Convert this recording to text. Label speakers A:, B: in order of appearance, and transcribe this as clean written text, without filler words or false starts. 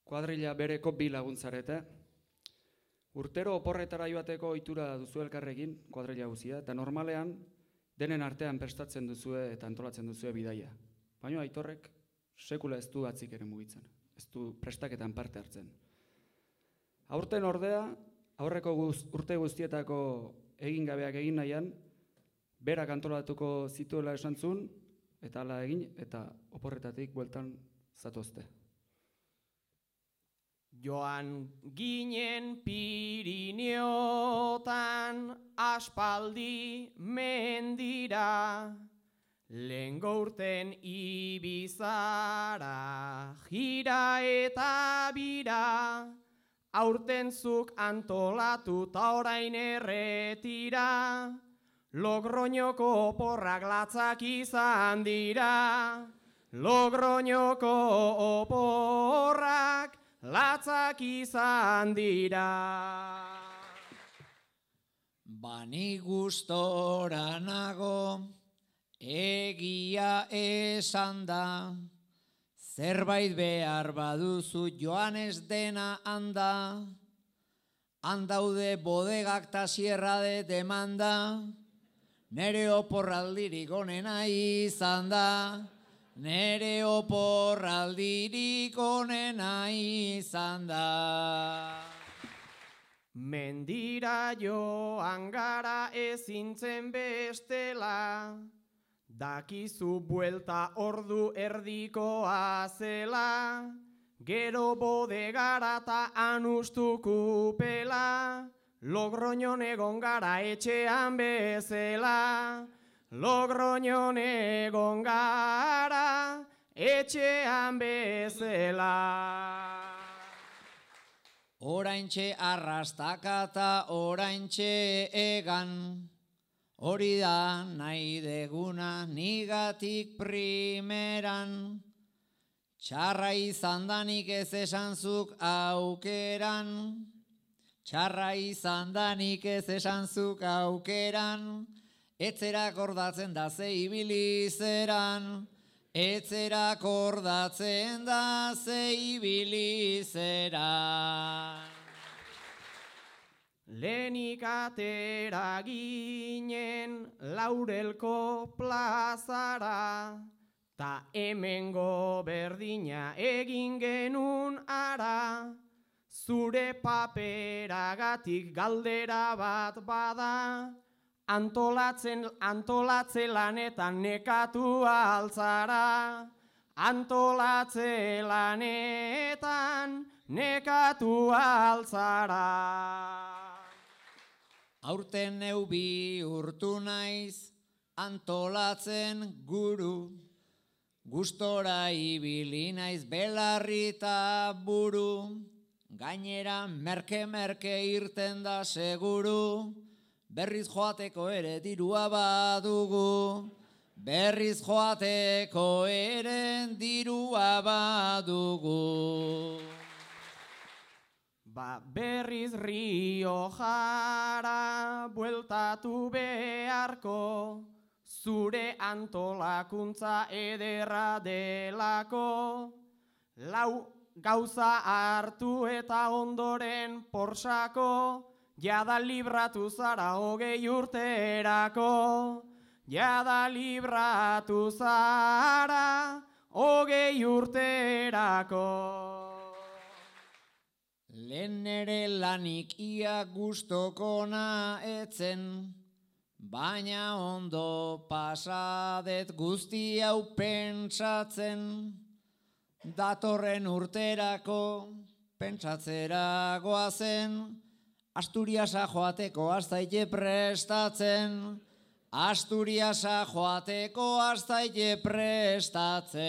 A: kuadrilla bereko bi laguntzarete. Urtero oporretara joateko ohitura duzu elkarrekin, kuadrilla guzia, eta normalean denen artean prestatzen duzue eta antolatzen duzue bidaia. Baina Aitorrek sekula ez du atzik ere mugitzen, ez du prestaketan parte hartzen. Aurten ordea, aurreko urte guztietako egin gabeak egin nahian, berak antolatuko zituela esan zuen, eta hala egin, eta oporretatik bueltan zatozte.
B: Joan ginen Pirineotan aspaldi mendira, lehengo urten Ibizara, jira eta bira, aurten zuk antolatu ta orain erretira, Logroñoko oporrak latzak izan dira, Logroñoko oporrak latzak izan dira.
C: Bani gustora nago, egia esan da, zerbait behar baduzu joan ez dena handa, handaude bodegak ta sierra de demanda, nere oporraldirik onena izan da, nere oporraldirik onena izan da.
B: Mendira joan gara ezintzen bestela, dakizu buelta ordu erdikoa zela, gero bodegara ta anustukupela, Logroñon egon gara etxean bezela, Logroñon egon gara etxean bezela.
C: Oraintxe arrastakata oraintxe egan, hori da nahi deguna nigatik primeran, txarra izan danik ez esanzuk aukeran, txarra izan danik ez esanzuk aukeran, etzerak ordatzen da ze ibilizeran, etzerak ordatzen da ze ibilizeran.
B: Lehenik atera ginen Laurelko plazara, ta hemengo berdina egin genun ara, zure paperagatik galdera bat bada, Antolatze lanetan nekatu altzara, antolatze lanetan nekatu altzara.
C: Aurten neu bihurtu naiz antolatzen guru, gustora ibili naiz belarrita buru, gainera merke irten da seguru, berriz joateko ere dirua badugu, berriz joateko ere dirua badugu.
B: Berriz Riojara bueltatu beharko, zure antolakuntza ederra delako, lau gauza hartu eta ondoren porsako, jada libratu zara 20 urterako, jada libratu zara 20 urterako.
C: Lehen nere lanik ia gustokona etzen, baina ondo pasadet guzti hau pentsatzen, datorren urterako pentsatzera goazen, Asturiasa joateko astaile prestatzen, Asturiasa joateko astaile prestatzen.